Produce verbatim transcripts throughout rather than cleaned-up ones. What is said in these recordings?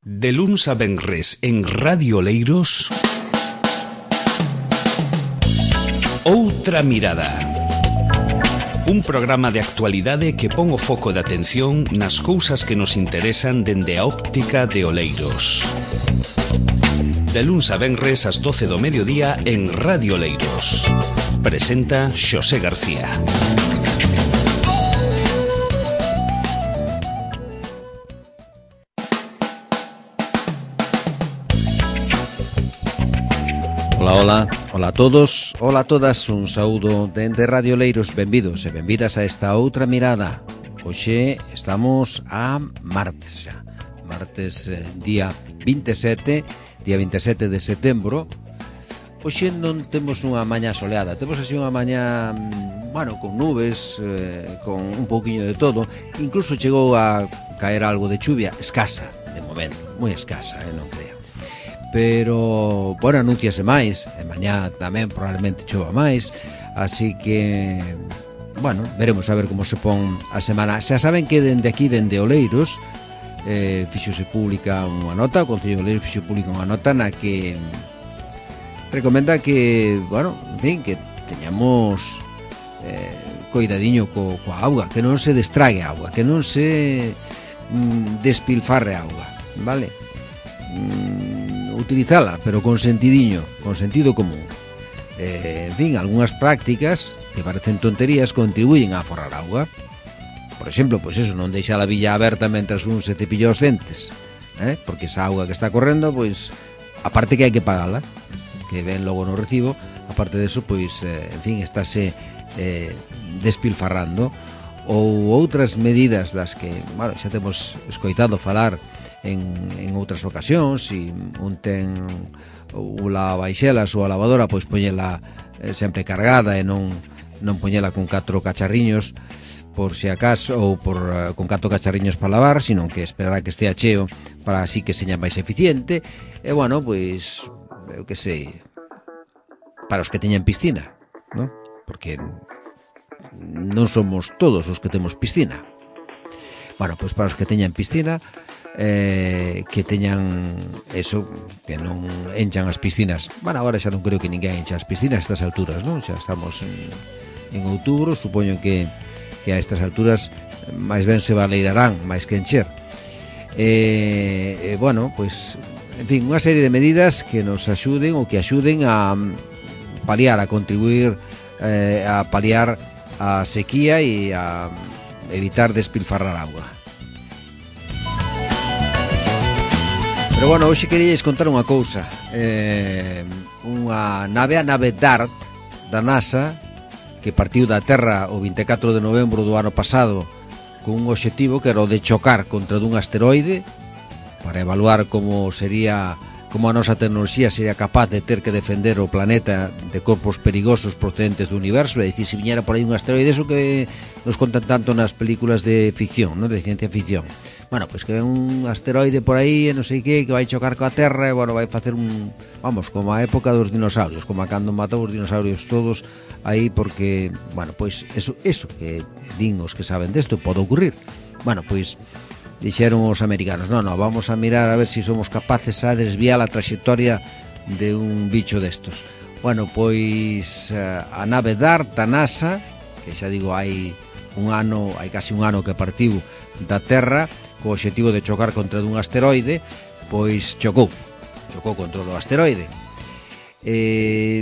De luns a venres en Radio Oleiros, Outra Mirada. Un programa de actualidade que pon o foco de atención nas cousas que nos interesan dende a óptica de Oleiros. De luns a venres ás doce do mediodía en Radio Oleiros. Presenta Xosé García. Ola, ola, ola a todos, ola a todas, un saúdo dende Radio Oleiros, benvidos e benvidas a esta outra mirada. Hoxe estamos a martes xa, martes eh, día vinte e sete, día vinte e sete de setembro. Hoxe non temos unha mañá soleada, temos así unha mañá, bueno, con nubes, eh, con un pouquiño de todo, incluso chegou a caer algo de chuvia, escasa, de momento, moi escasa, eh, non creo. Pero, bueno, anúnciase máis, e mañá tamén probablemente chova máis, así que, bueno, veremos a ver como se pon a semana. Xa saben que dende aquí, dende Oleiros, eh, fixose pública unha nota, o Concello de Oleiros fixo pública unha nota na que recomenda que, bueno, en fin, que teñamos eh, coidadiño co, coa auga, que non se destrague a auga, que non se mm, despilfarre a auga, vale? Mm, utilizala, pero con sentidiño, con sentido común. Eh, en fin, algunhas prácticas que parecen tonterías contribuyen a aforrar auga. Por exemplo, pois eso, non deixar a villa aberta mentras un se cepilla os dentes, eh? Porque esa auga que está correndo, pois, aparte que hai que pagala, que ven logo no recibo, aparte deso, pois, eh, en fin, estáse eh, despilfarrando. Ou outras medidas das que, bueno, xa temos escoitado falar en, en outras ocasións, e un ten ou la baixelas ou a lavadora, pois poñela eh, sempre cargada e non, non poñela con catro cacharriños por si acaso, ou por, uh, con catro cacharriños para lavar, sino que esperar a que estea cheo para así que seña máis eficiente. E bueno, pois, eu que sei, para os que teñan piscina, ¿no? Porque non somos todos os que temos piscina. Bueno, pois para os que teñan piscina, eh, que teñan eso, que non enchan as piscinas. Bueno, agora xa non creo que ninguén encha as piscinas a estas alturas, non? Xa estamos en, en outubro, supoño que, que a estas alturas máis ben se baleirarán máis que encher. Eh, eh, bueno, pois, en fin, unha serie de medidas que nos axuden ou que axuden a paliar, a contribuir eh, a paliar a sequía e a evitar despilfarrar auga. Pero bueno, hoxe queríais contar unha cousa, eh, unha nave, a nave DART da NASA, que partiu da Terra o vinte e catro de novembro do ano pasado con un obxectivo que era o de chocar contra dun asteroide para evaluar como sería, como a nosa tecnoloxía sería capaz de ter que defender o planeta de corpos perigosos procedentes do universo, é dicir, se viñera por aí un asteroide, eso que nos contan tanto nas películas de ficción, non, de ciencia ficción. Bueno, pois que ven un asteroide por aí e non sei que, que vai chocar coa Terra e, bueno, vai facer un, vamos, como a época dos dinosaurios, como a cando matou os dinosaurios todos aí, porque, bueno, pois eso, eso que din os que saben desto pode ocurrir. Bueno, pois dixeron os americanos, non, non, vamos a mirar a ver se si somos capaces a desviar a trayectoria de un bicho destos. Bueno, pois a nave DART da NASA, que xa digo, hai un ano, hai casi un ano que partiu da Terra co obxectivo de chocar contra dun asteroide, pois chocou, chocou contra o asteroide. Eh,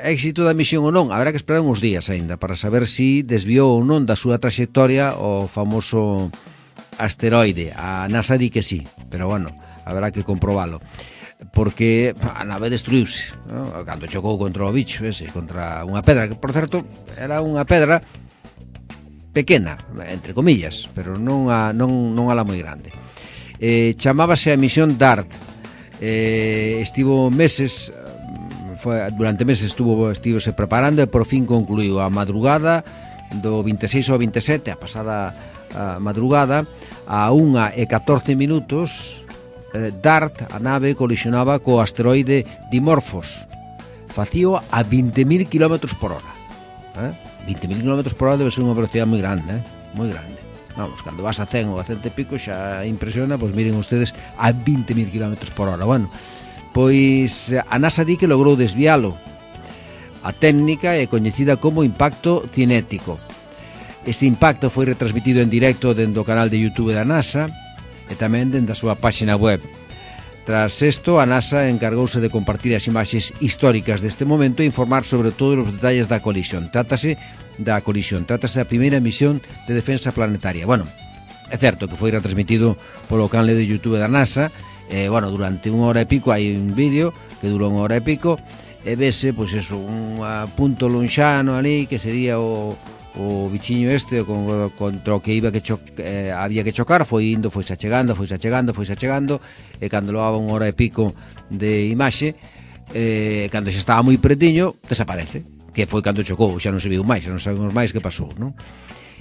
éxito da misión ou non, haberá que esperar uns días aínda para saber se si desviou ou non da súa trayectoria o famoso asteroide. A NASA di que sí, pero bueno, haberá que comprobalo, porque a nave destruíuse, ¿no? Cando chocou contra o bicho ese, contra unha pedra, que por certo era unha pedra pequena, entre comillas, pero non a, non, non a la moi grande. Eh, chamábase a misión DART. Eh, estivo meses, foi, durante meses estuvo estivose preparando e por fin concluiu a madrugada do vinte e seis ao vinte e sete, a pasada a madrugada, a unha e catorce minutos, eh, DART, a nave, colisionaba co asteroide Dimorphos. Facío a vinte mil kilómetros por hora. Eh? vinte mil kilómetros por hora debe ser unha velocidade moi grande, eh? moi grande. vamos, cando vas a cen ou a cento e pico xa impresiona, pois miren ustedes a vinte mil kilómetros por hora. Bueno, pois a NASA di que logrou desvialo. A técnica é coñecida como impacto cinético. Este impacto foi retransmitido en directo dentro do canal de YouTube da NASA e tamén dentro da súa páxina web. Tras isto, a NASA encargouse de compartir as imaxes históricas deste momento e informar sobre todos os detalles da colisión. Trátase da colisión, trátase da primeira misión de defensa planetaria. Bueno, é certo que foi retransmitido polo canal de YouTube da NASA, e, bueno, durante unha hora e pico hai un vídeo que dura unha hora e pico, e vese, pois eso, un punto lonxano ali, que sería o... o bichiño este con, contra o que iba que cho, eh, había que chocar, foi indo, foi achegando, foi achegando, foi achegando, e cando loaba unha hora e pico de imaxe, eh, cando xa estaba moi pretiño, desaparece, que foi cando chocou, xa non se viu máis, xa non sabemos máis que pasou, non?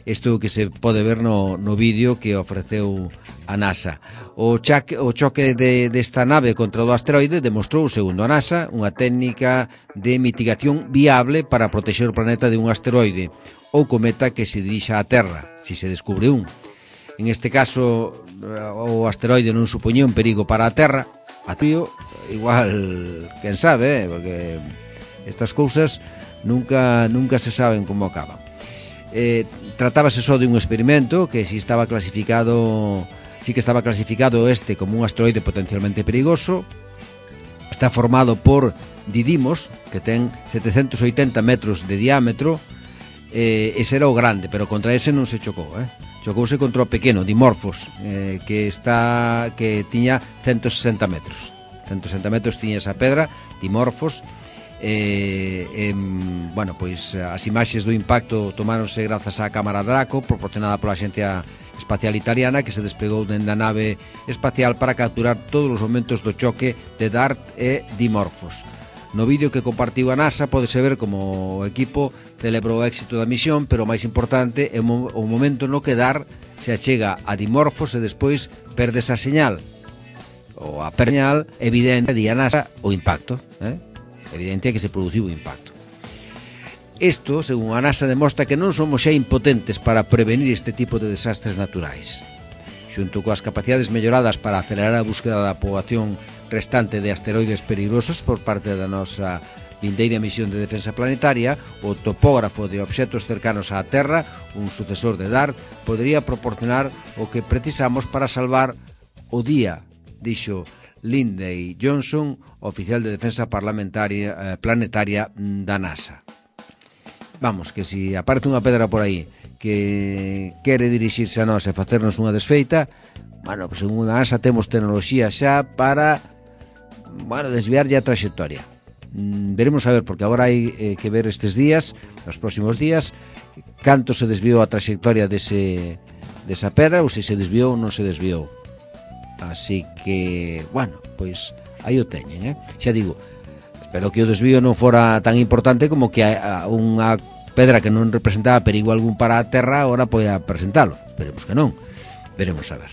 Isto que se pode ver no, no vídeo que ofreceu a NASA. O, chaque, o choque de, desta nave contra o asteroide demostrou, segundo a NASA, unha técnica de mitigación viable para protexer o planeta de un asteroide ou cometa que se dirixa á Terra, se se descubre un. En este caso, o asteroide non supoñía un perigo para a Terra, a tío, igual, quen sabe, eh? Porque estas cousas nunca, nunca se saben como acaban. Eh, tratábase só de un experimento que si estaba clasificado, si que estaba clasificado este como un asteroide potencialmente perigoso. Está formado por Didymos, que ten setecentos oitenta metros de diámetro. Eh, ese era o grande, pero contra ese non se chocou, eh? Chocouse contra o pequeno, Dimorphos, eh, que está que tiña ciento sesenta metros. ciento sesenta metros tiña esa pedra, Dimorphos. Eh, eh, bueno, pois as imaxes do impacto tomáronse grazas á cámara Draco, proporcionada pola Axencia Espacial Italiana, que se desplegou dende a nave espacial para capturar todos os momentos do choque de DART e Dimorphos. No vídeo que compartiu a NASA podese ver como o equipo celebrou o éxito da misión, pero o máis importante é o momento no que DART se achega a Dimorphos e despois perde esa señal, ou a señal evidente de a NASA o impacto, eh? Evidente que se produciu o impacto. Isto, según a NASA, demostra que non somos xa impotentes para prevenir este tipo de desastres naturais. Xunto coas capacidades melloradas para acelerar a búsqueda da poboación restante de asteroides peligrosos por parte da nosa vindeira misión de defensa planetaria, o topógrafo de obxectos cercanos á Terra, un sucesor de DART, podería proporcionar o que precisamos para salvar o día, dixo Lindsey Johnson, oficial de defensa parlamentaria eh, planetaria da NASA. Vamos, que si aparte unha pedra por aí que quere dirixirse a nós e facernos unha desfeita, bueno, pues según a NASA temos tecnoloxía xa para, bueno, desviarlle a trayectoria. Mm, veremos a ver, porque agora hai eh, que ver estes días, nos próximos días, canto se desviou a trayectoria dese, desa pedra, ou se se desviou ou non se desviou. Así que, bueno, pois aí o teñen, eh? Xa digo, espero que o desvío non fora tan importante como que a, a unha pedra que non representaba perigo algún para a Terra agora poida presentalo. Esperemos que non. Veremos a ver.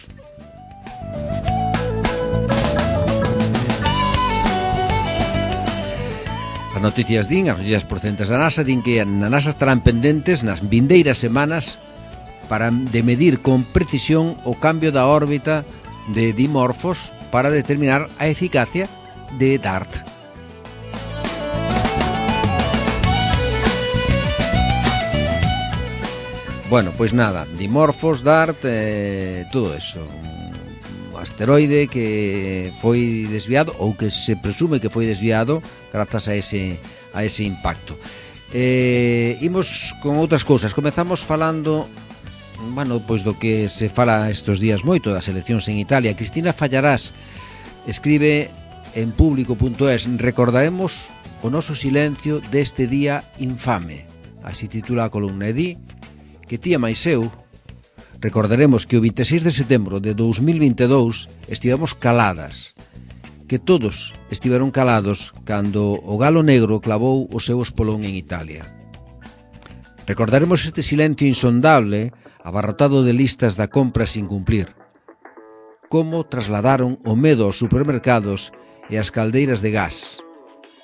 As noticias din, as noticias procedentes da NASA, din que na NASA estarán pendentes nas vindeiras semanas para de medir con precisión o cambio da órbita de Dimorphos para determinar a eficacia de DART. Bueno, pois nada, Dimorphos, DART, eh, todo eso. Un asteroide que foi desviado, ou que se presume que foi desviado grazas a ese, a ese impacto. Eh, imos con outras cousas. Comezamos falando, bueno, pois do que se fala estes días moito das eleccións en Italia. Cristina Fallarás escribe en público punto es: recordaremos o noso silencio deste día infame. Así titula a columna. E di que tía máis eu recordaremos que o vinte e seis de setembro de dous mil vinte e dous estivemos caladas, que todos estiveron calados cando o galo negro clavou o seu espolón en Italia. Recordaremos este silencio insondable abarrotado de listas da compra sin cumplir. Como trasladaron o medo aos supermercados e as caldeiras de gas.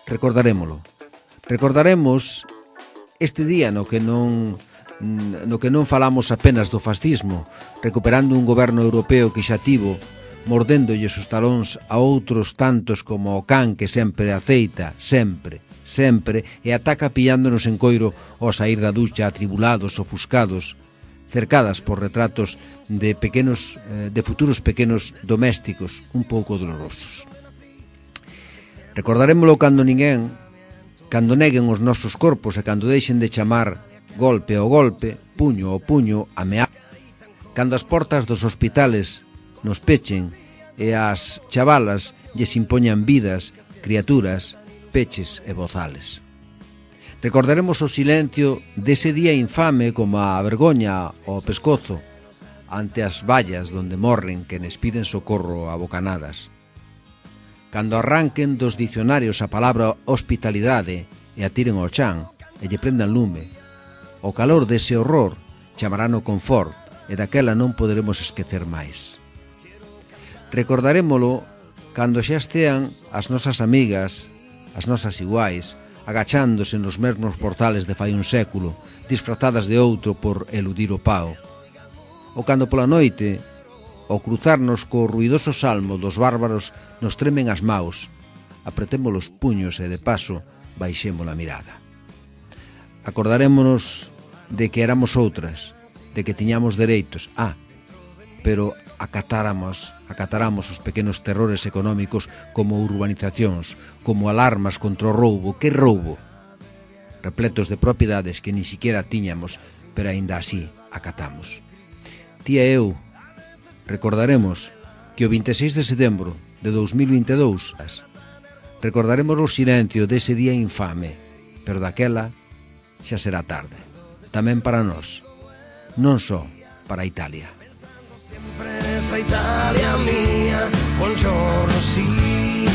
Recordarémolo. Recordaremos este día no que non no que non falamos apenas do fascismo, recuperando un goberno europeo que xa tivo, mordéndolles os talóns a outros tantos como o can que sempre aceita, sempre, sempre, e ataca pillándonos en coiro ao saír da ducha atribulados, ofuscados, cercadas por retratos de pequenos, de futuros pequenos domésticos un pouco dolorosos. Recordarémolo cando ninguén, cando neguen os nosos corpos e cando deixen de chamar golpe ao golpe, puño ao puño, ameaza, cando as portas dos hospitales nos pechen e as chavalas lles impoñan vidas, criaturas, peches e bozales. Recordaremos o silencio dese día infame como a vergoña ao pescozo ante as vallas donde morren quenes piden socorro a bocanadas. Cando arranquen dos dicionarios a palabra hospitalidade e a tiren ao chan e lle prendan lume, o calor dese horror chamarano confort e daquela non poderemos esquecer máis. Recordarémolo cando xa estean as nosas amigas, as nosas iguais, agachándose nos mesmos portales de fai un século, disfrazadas de outro por eludir o pao. Ou cando pola noite, ao cruzarnos co ruidoso salmo dos bárbaros, nos tremen as maus, apretemos os puños e de paso baixemos a mirada. Acordarémonos de que éramos outras, de que tiñamos dereitos, ah, pero acatáramos, acatáramos os pequenos terrores económicos como urbanizacións, como alarmas contra o roubo. Que roubo? Repletos de propiedades que ni siquiera tiñamos, pero aínda así acatamos. Ti e eu recordaremos que o vinte e seis de setembro de dous mil vinte e dous recordaremos o silencio dese día infame, pero daquela xa será tarde. Tamén para nós, non só para Italia. Esa Italia mía, buongiorno sí.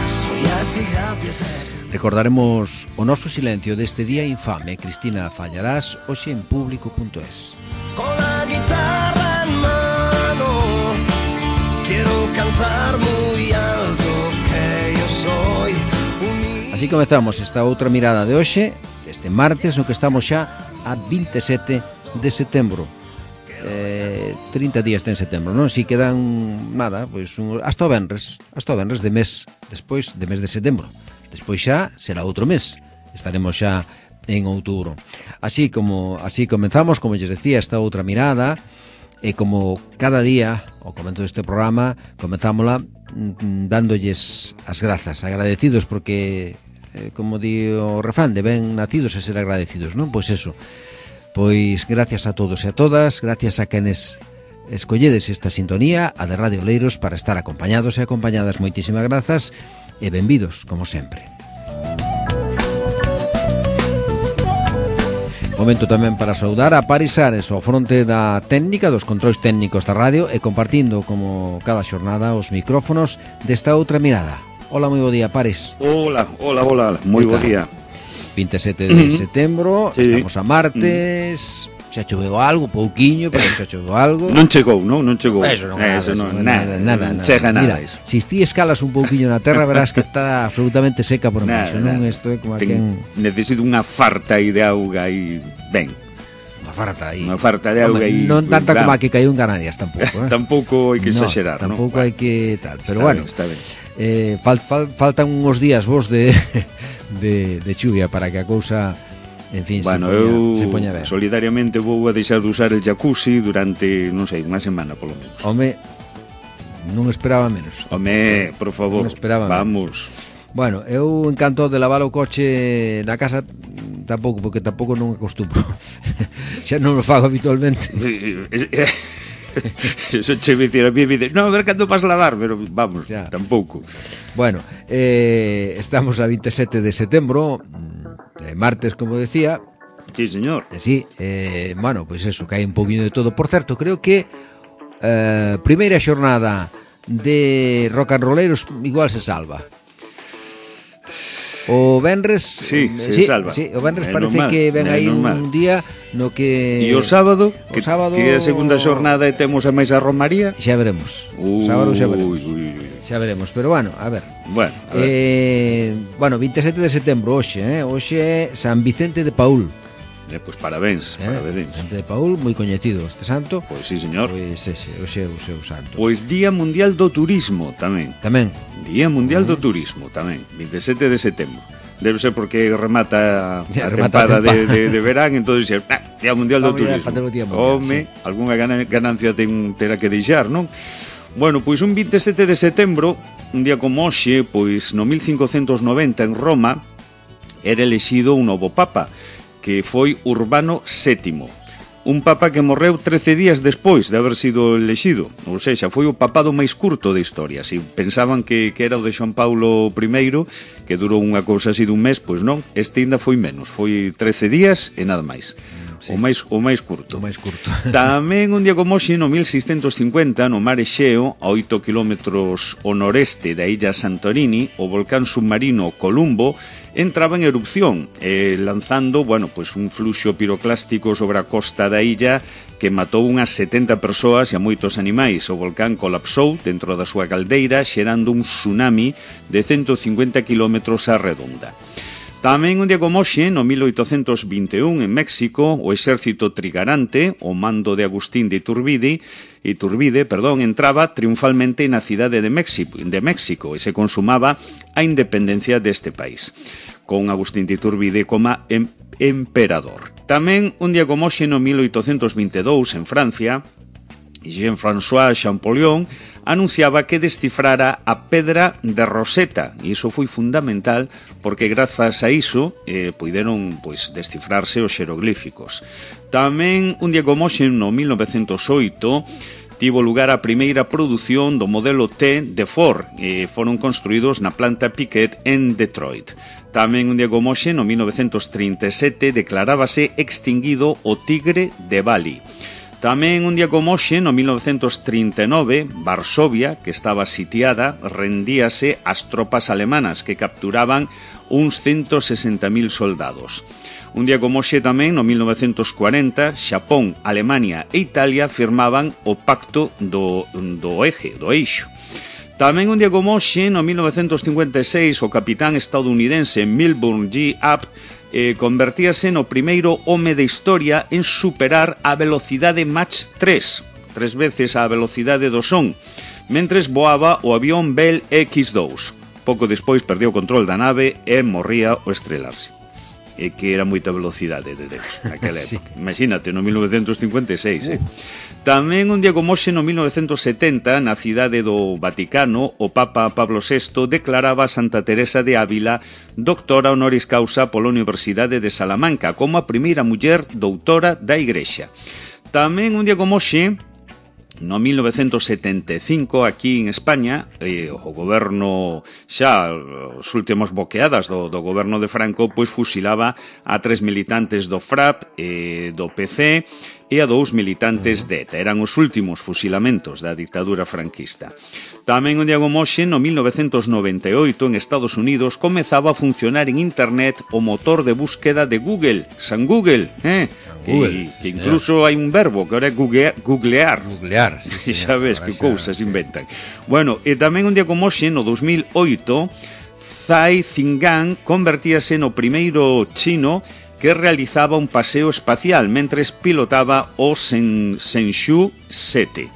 Soy así gracias a ti. Recordaremos o noso silencio deste día infame. Cristina Fallarás, hoxe en público punto es. Con la guitarra en mano quiero cantar muy alto que yo soy un... Así comezamos esta outra mirada de hoxe, este martes, no que estamos xa a vinte e sete de setembro. Eh, trinta días ten setembro, non? Si quedan nada, pois un, hasta o venres, hasta o venres de mes, despois de mes de setembro. Despois xa será outro mes. Estaremos xa en outubro. Así como así comenzamos, como lles decía, esta outra mirada, e como cada día, ao comento deste programa, comenzámola mm, dándolles as grazas, agradecidos porque eh, como di o refrán, de ben nacidos a ser agradecidos, non? Pois eso. Pois gracias a todos e a todas, gracias a quenes escolledes esta sintonía, a de Radio Oleiros, para estar acompañados e acompañadas. Moitísimas grazas e benvidos, como sempre. Momento tamén para saudar a Paris Ares ao fronte da técnica, dos controis técnicos da radio, e compartindo, como cada xornada, os micrófonos desta outra mirada. Hola, moi bo día, Paris. Hola, hola, hola, moi bo día. vinte e sete de setembro, sí. Estamos a martes, xa choveu algo, pouquiño, pero xa choveu algo. Non chegou, non? Non chegou. Eso non, nada, eso non, eso, nada, nada, non nada. chega nada. Mira, Eso. se ti escalas un pouquiño na terra, verás que está absolutamente seca por baixo, non? Isto é como Ten, quen... Necesito unha farta aí de auga aí, ben. Unha farta aí. Unha farta de auga aí. Non tanta claro. como a que caiu en Canarias tampouco, eh? Tampouco hai que exagerar, no, non? Tampouco hai que tal, pero bueno. Está ben, está ben. Eh, fal, fal, faltan uns días vos de de de chuvia para que a cousa, en fin, bueno, se, poña, eu se poña ben. solidariamente vou a deixar de usar el jacuzzi durante, non sei, unha semana polo menos. Home, non esperaba menos. Home, por favor, non esperaba vamos. Menos. Bueno, eu encanto de lavar o coche na casa tampouco, porque tampouco non acostumbro. Xa non o fago habitualmente. Eso che me dicir a mí, me dices, no, a ver cando vas lavar, pero vamos, ya. Tampouco. Bueno, eh, estamos a vinte e sete de setembro, eh, martes, como decía. Sí, señor. Eh, sí, eh, bueno, pois pues eso, que hai un poquinho de todo. Por certo, creo que eh, primeira xornada de rock and rolleros igual se salva. O venres sí, se sí, salva. Sí, o venres é parece normal, que ven aí normal. un día no que E o sábado, o que, sábado... que é a segunda xornada e temos a máis a Romaría. Xa veremos. Uy, o sábado xa veremos. Uy, uy. Xa veremos, pero bueno, a ver. Bueno, a ver. Eh, bueno, vinte e sete de setembro hoxe, eh? Hoxe é San Vicente de Paúl. Eh, pois parabéns, eh? parabéns. Santo de Paúl, moi coñecido este santo. Pois sí, señor. Pois ese, hoxe é o seu santo. Pois Día Mundial do Turismo tamén. Tamén. Día Mundial do Turismo tamén, vinte e sete de setembro. Debe ser porque remata a Ya, tempada remata a tempada. de, de, de verán, entón dixe, ah, Día Mundial do Vamos ya a Turismo. facer o Día Mundial, Home, sí. algunha gana- ganancia ten, terá que deixar, non? Bueno, pois un vinte e sete de setembro, un día como hoxe, pois no mil cincocentos noventa en Roma, era elexido un novo papa, que foi Urbano sétimo. Un papa que morreu trece días despois de haber sido elexido. Ou seja, foi o papado máis curto da historia. Si pensaban que, que era o de Xoán Paulo primeiro, que durou unha cousa así dun mes, pois non, este ainda foi menos. Foi trece días e nada máis. Sí. O máis o máis curto. O máis curto. Tamén un día como hoxe, no mil seiscentos cincuenta, no mar Exeo, a oito kilómetros ao noreste da illa Santorini, o volcán submarino Columbo entraba en erupción, eh, lanzando, bueno, pues un fluxo piroclástico sobre a costa da illa que matou unhas setenta persoas e a moitos animais. O volcán colapsou dentro da súa caldeira, xerando un tsunami de ciento cincuenta kilómetros á redonda. Tamén un día como hoxe, no mil oitocentos vinte e un, en México, o exército trigarante, o mando de Agustín de Iturbide, Iturbide, perdón, entraba triunfalmente na cidade de México, de México e se consumaba a independencia deste país, con Agustín de Iturbide como em emperador. Tamén un día como hoxe, no mil oitocentos vinte e dous, en Francia, Jean-François Champollion anunciaba que descifrara a pedra de Rosetta, e iso foi fundamental porque grazas a iso eh, puideron pois, descifrarse os xeroglíficos. Tamén un día como hoxe, no mil novecentos oito, tivo lugar a primeira produción do modelo T de Ford, e foron construídos na planta Piquet en Detroit. Tamén un día como hoxe, no mil novecentos trinta e sete, declarábase extinguido o tigre de Bali. Tamén un día como hoxe, no mil novecentos trinta e nove, Varsovia, que estaba sitiada, rendíase ás tropas alemanas que capturaban uns ciento sesenta mil soldados. Un día como hoxe tamén, no mil novecentos cuarenta, Xapón, Alemania e Italia firmaban o Pacto do, do Eje, do Eixo. Tamén un día como hoxe, no mil novecentos cincuenta e seis, o capitán estadounidense Milburn G. Abt eh, convertíase no primeiro home de historia en superar a velocidade Mach tres, tres veces a velocidade do son, mentres voaba o avión Bell equis dous. Pouco despois perdeu o control da nave e morría ao estrelarse. E que era moita velocidade de Deus naquela época. Sí. Imagínate, no mil novecentos cincuenta e seis, eh? Tamén un día como hoxe, no mil novecentos setenta, na cidade do Vaticano, o Papa Pablo sexto declaraba a Santa Teresa de Ávila doctora honoris causa pola Universidade de Salamanca como a primeira muller doutora da Igrexa. Tamén un día como hoxe, no mil novecentos setenta e cinco, aquí en España, eh, o goberno xa, os últimos boqueadas do, do goberno de Franco, pois fusilaba a tres militantes do FRAP, eh, do P C e a dous militantes de ETA. Eran os últimos fusilamentos da dictadura franquista. Tamén un día como hoxe, no mil novecentos noventa e oito, en Estados Unidos, comezaba a funcionar en Internet o motor de búsqueda de Google, San Google, eh? Que, que incluso hai un verbo que ahora é googlear. Googlear, googlear sí, sí, sabes que cousas sí. inventan. Bueno, e tamén un día como hoxe, no dos mil oito, Zhai Zingang convertíase no primeiro chino que realizaba un paseo espacial mentres pilotaba o Shenzhou sete.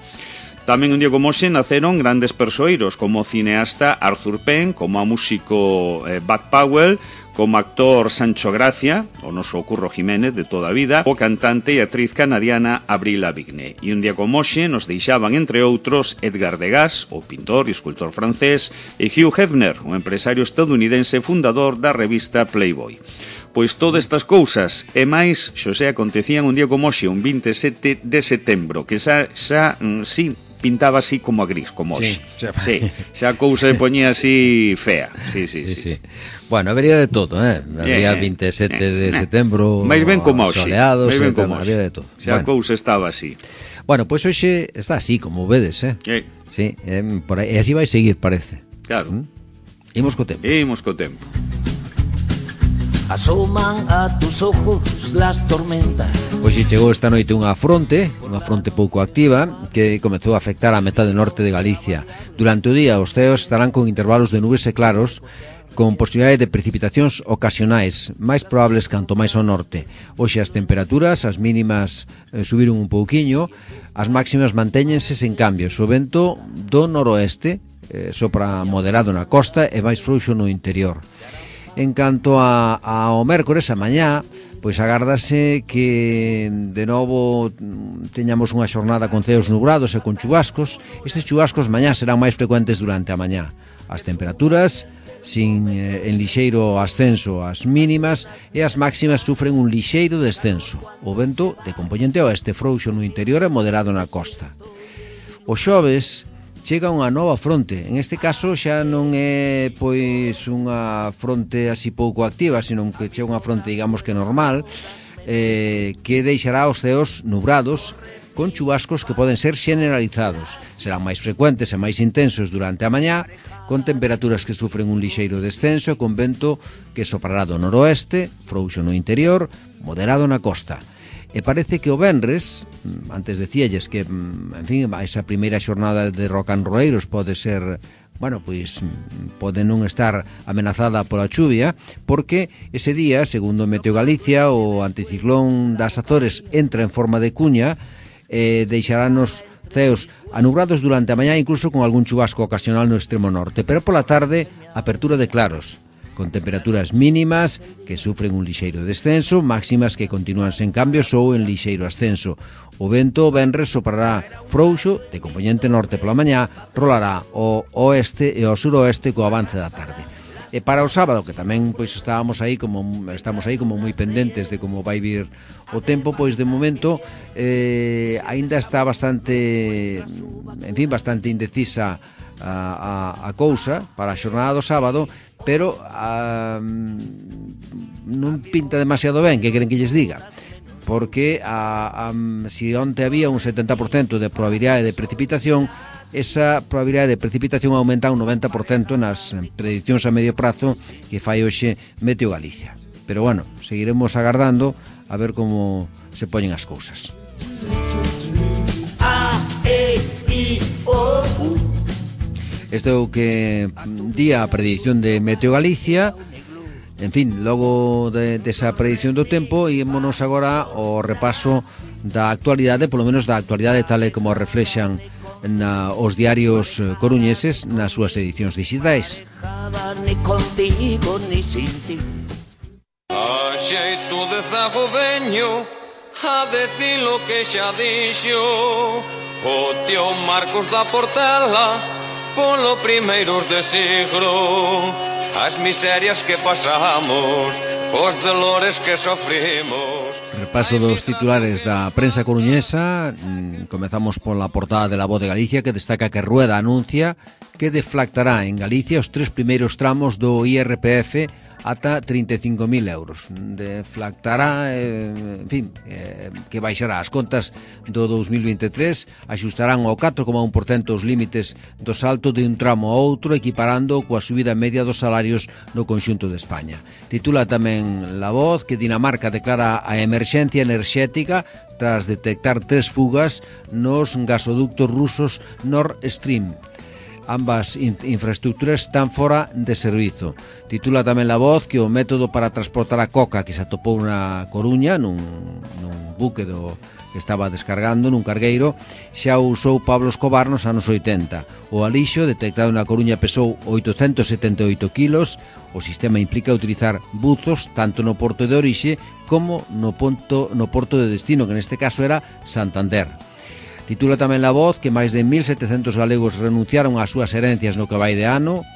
Tamén un día como hoxe naceron grandes persoeiros como o cineasta Arthur Penn, como a músico eh, Bud Powell, como actor Sancho Gracia, o noso Curro Jiménez de toda a vida, o cantante e actriz canadiana Avril Lavigne. E un día como hoxe nos deixaban, entre outros, Edgar Degas, o pintor e escultor francés, e Hugh Hefner, o empresario estadounidense fundador da revista Playboy. Pois todas estas cousas e máis, xosé, acontecían un día como hoxe, un vinte e sete de setembro, que xa, xa, mm, sí, pintaba así como a gris, como hoxe. Sí, xa, sí, xa a cousa se poñía así fea. Sí, sí, sí. sí, sí. sí. Bueno, habería de todo, eh? Habría eh, vinte e sete eh, de eh, setembro, máis ben como hoxe. Soleados, máis ben como hoxe. Habría de todo. Xa a bueno. cousa estaba así. Bueno, pois pues hoxe está así, como vedes, eh? eh. Sí, eh, por aí, e así vai seguir, parece. Claro. ¿Mm? Imos co tempo. Imos co tempo. Asoman a tus ojos las tormentas. Hoxe chegou esta noite unha fronte, unha fronte pouco activa, que comezou a afectar a metade norte de Galicia. Durante o día os ceos estarán con intervalos de nubes e claros, con posibilidade de precipitacións ocasionais, máis probables canto máis ao norte. Hoxe as temperaturas, as mínimas eh, subiron un pouquiño, as máximas mantéñense sen cambios. O vento do noroeste eh, sopra moderado na costa e máis frouxo no interior. En canto a, ao mércores, a mañá, pois agardase que de novo teñamos unha xornada con ceos nubrados e con chubascos. Estes chubascos mañá serán máis frecuentes durante a mañá. As temperaturas sin eh, en lixeiro ascenso as mínimas e as máximas sufren un lixeiro descenso. O vento de componente oeste frouxo no interior e moderado na costa. O xoves chega unha nova fronte. En este caso xa non é pois unha fronte así pouco activa, sino que chega unha fronte, digamos que normal, eh, que deixará os ceos nubrados con chubascos que poden ser generalizados. Serán máis frecuentes e máis intensos durante a mañá, con temperaturas que sufren un lixeiro descenso e con vento que soprará do noroeste, frouxo no interior, moderado na costa. E parece que o venres, antes decíalles que, en fin, esa primeira xornada de rocanroeiros pode ser, bueno, pois pode non estar amenazada pola chuvia, porque ese día, segundo Meteo Galicia, o anticiclón das Azores entra en forma de cuña e deixarános ceos anubrados durante a mañá, incluso con algún chubasco ocasional no extremo norte, pero pola tarde apertura de claros, con temperaturas mínimas que sufren un lixeiro descenso, máximas que continúan sen cambios ou en lixeiro ascenso. O vento venres soprará frouxo de componente norte pola mañá, rolará ao oeste e ao suroeste co avance da tarde. E para o sábado, que tamén pois estábamos aí como estamos aí como moi pendentes de como vai vir o tempo, pois de momento eh, aínda está bastante, en fin, bastante indecisa a, a, a cousa para a xornada do sábado, pero a, non pinta demasiado ben, que queren que lles diga, porque a, a, si onte había un setenta por cento de probabilidade de precipitación, esa probabilidade de precipitación aumenta un noventa por cento nas predicións a medio prazo que fai hoxe Meteo Galicia. Pero bueno, seguiremos agardando a ver como se poñen as cousas. Isto é o que di a predición de Meteo Galicia. En fin, logo de, desa predición do tempo, ímonos agora ao repaso da actualidade, polo menos da actualidade tal e como reflexan na, os diarios coruñeses nas súas edicións digitais. A xeito de zago veño a decir lo que xa dixo o tío Marcos da Portela polo primeiros de siglo, as miserias que pasamos, os dolores que sofrimos. Repaso dos titulares da prensa coruñesa. Comezamos pola portada de La Voz de Galicia, que destaca que Rueda anuncia que deflactará en Galicia os tres primeiros tramos do I R P F ata trinta e cinco mil euros. Deflactará, eh, en fin, eh, que baixará as contas do dous mil vinte e tres, axustarán ao catro coma un por cento os límites do salto de un tramo a outro, equiparando coa subida media dos salarios no conxunto de España. Titula tamén La Voz que Dinamarca declara a emerxencia enerxética tras detectar tres fugas nos gasoductos rusos Nord Stream. Ambas in- infraestructuras están fora de servizo. Titula tamén La Voz que o método para transportar a coca que se atopou na Coruña nun, nun buque do que estaba descargando nun cargueiro xa usou Pablo Escobar nos anos oitenta. O alixo detectado na Coruña pesou oitocentos setenta e oito kilos. O sistema implica utilizar buzos tanto no porto de orixe como no, ponto, no porto de destino, que neste caso era Santander. Titula tamén La Voz que máis de mil setecentos galegos renunciaron ás súas herencias no que vai de ano.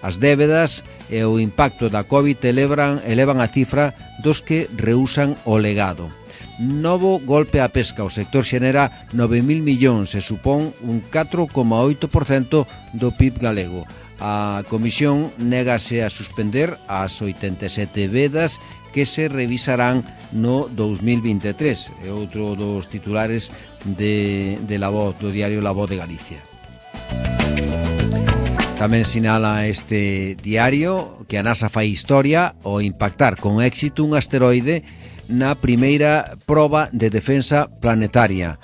As débedas e o impacto da COVID elevan, elevan a cifra dos que reúsan o legado. Novo golpe á pesca. O sector xenera nove mil millóns e supón un catro coma oito por cento do P I B galego. A Comisión négase a suspender as oitenta e sete vedas que se revisarán no dous mil vinte e tres. É outro dos titulares de, de La Voz, do diario La Voz de Galicia. Tamén sinala este diario que a NASA fai historia ao impactar con éxito un asteroide na primeira proba de defensa planetaria.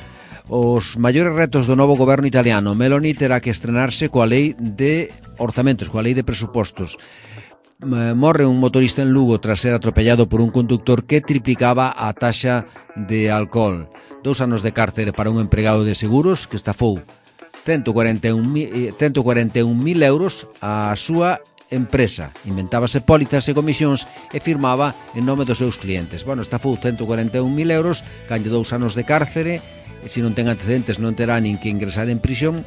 Os maiores retos do novo goberno italiano. Meloni terá que estrenarse coa lei de orzamentos, coa lei de presupostos. morre un motorista en Lugo tras ser atropellado por un conductor que triplicaba a taxa de alcohol. Dous anos de cárcere para un empregado de seguros que estafou ciento cuarenta e un mil euros a súa empresa. Inventábase pólizas e comisións e firmaba en nome dos seus clientes. Bueno, estafou ciento cuarenta e un mil euros, canlle dous anos de cárcere, e se non ten antecedentes non terá nin que ingresar en prisión.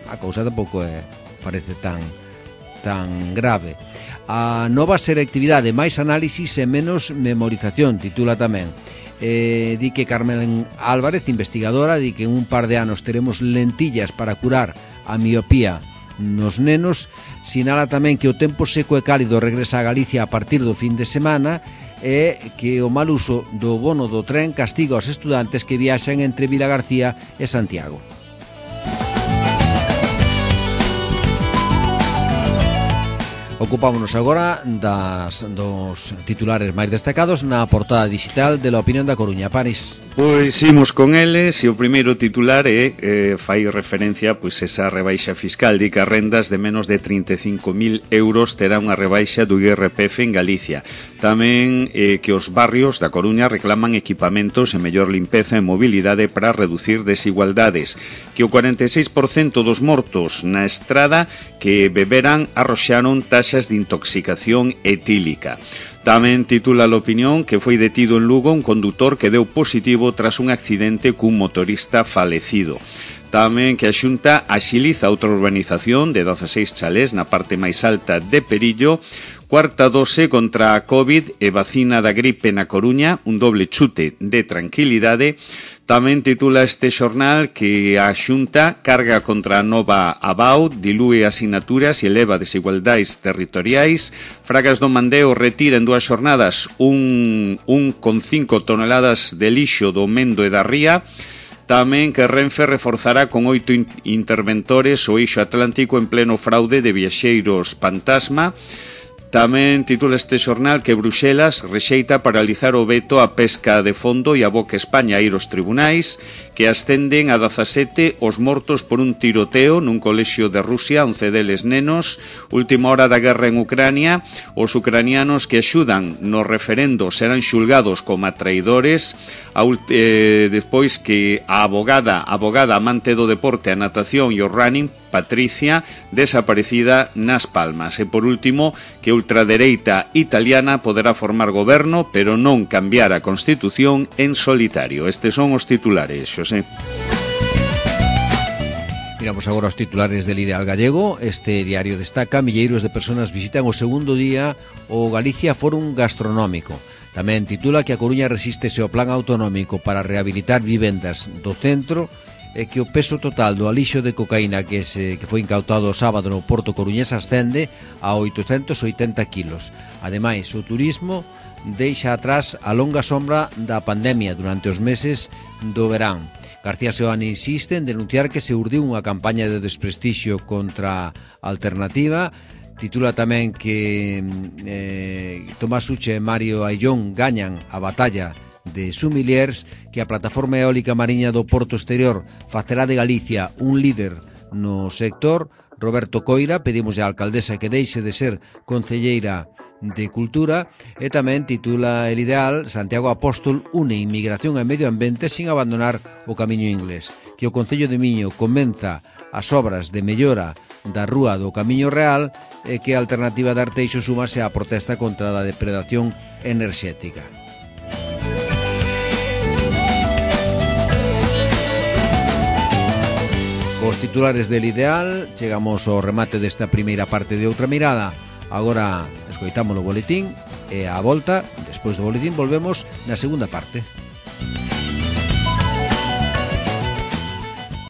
A cousa tampouco é, parece tan tan grave. A nova selectividade, máis análisis e menos memorización, titula tamén. Eh, di que Carmen Álvarez, investigadora, di que en un par de anos teremos lentillas para curar a miopía nos nenos. Sinala tamén que o tempo seco e cálido regresa a Galicia a partir do fin de semana e que o mal uso do bono do tren castiga aos estudantes que viaxan entre Vilagarcía e Santiago. Ocupámonos agora das, dos titulares máis destacados na portada digital de La Opinión da Coruña. Paris. Pois imos con eles e o primeiro titular é eh, fai referencia pois esa rebaixa fiscal. Di que as rendas de menos de trinta e cinco mil euros terá unha rebaixa do I R P F en Galicia. Tamén eh, que os barrios da Coruña reclaman equipamentos e mellor limpeza e mobilidade para reducir desigualdades. Que o cuarenta e seis por cento dos mortos na estrada que beberan arroxaron taxas de intoxicación etílica. Tamén titula a Opinión que foi detido en Lugo un condutor que deu positivo tras un accidente cun motorista falecido. Tamén que a Xunta axiliza outra urbanización de dezaseis chalés na parte máis alta de Perillo. Cuarta dose contra a COVID e vacina da gripe na Coruña, un doble chute de tranquilidade. Tamén titula este xornal que a Xunta carga contra a nova Abao, dilúe asignaturas e eleva desigualdades territoriais. Fragas do Mandeo retira en dúas xornadas un, un con cinco toneladas de lixo do Mendo e da Ría. Tamén que Renfe reforzará con oito interventores o eixo atlántico en pleno fraude de viaxeiros fantasma. Tamén titula este xornal que Bruxelas rexeita paralizar o veto á pesca de fondo e aboca España a ir aos tribunais, que ascenden a dezasete os mortos por un tiroteo nun colexio de Rusia, once deles nenos. Última hora da guerra en Ucrania, os ucranianos que axudan no referendo serán xulgados como traidores. A, eh, despois que a abogada, abogada amante do deporte, a natación e o running, Patricia, desaparecida nas Palmas. E por último, que a ultradereita italiana poderá formar goberno, pero non cambiar a Constitución en solitario. Estes son os titulares, Xosé. Miramos agora os titulares del Ideal Gallego. Este diario destaca: milleiros de personas visitan o segundo día o Galicia Fórum Gastronómico. Tamén titula que a Coruña resístese ao plan autonómico para rehabilitar vivendas do centro e que o peso total do alixo de cocaína que, se, que foi incautado o sábado no Porto Coruñés ascende a oitocentos oitenta kilos. Ademais, o turismo deixa atrás a longa sombra da pandemia durante os meses do verán. García Seoane insiste en denunciar que se urdiu unha campaña de desprestixio contra a Alternativa. Titula tamén que eh, Tomás Uche e Mario Aillón gañan a batalla de Sumiliers, que a plataforma eólica mariña do Porto Exterior facerá de Galicia un líder no sector. Roberto Coira, pedimos á alcaldesa que deixe de ser concelleira de Cultura. E tamén titula El Ideal: Santiago Apóstol une inmigración e medio ambiente sin abandonar o camiño inglés. Que o Concello de Miño comeza as obras de mellora da rúa do Camiño Real e que a Alternativa de Arteixo sumase á protesta contra a depredación enerxética. Os titulares del Ideal, chegamos ao remate desta primeira parte de Outra Mirada. Agora escoitamos o boletín e a volta, despois do boletín, volvemos na segunda parte.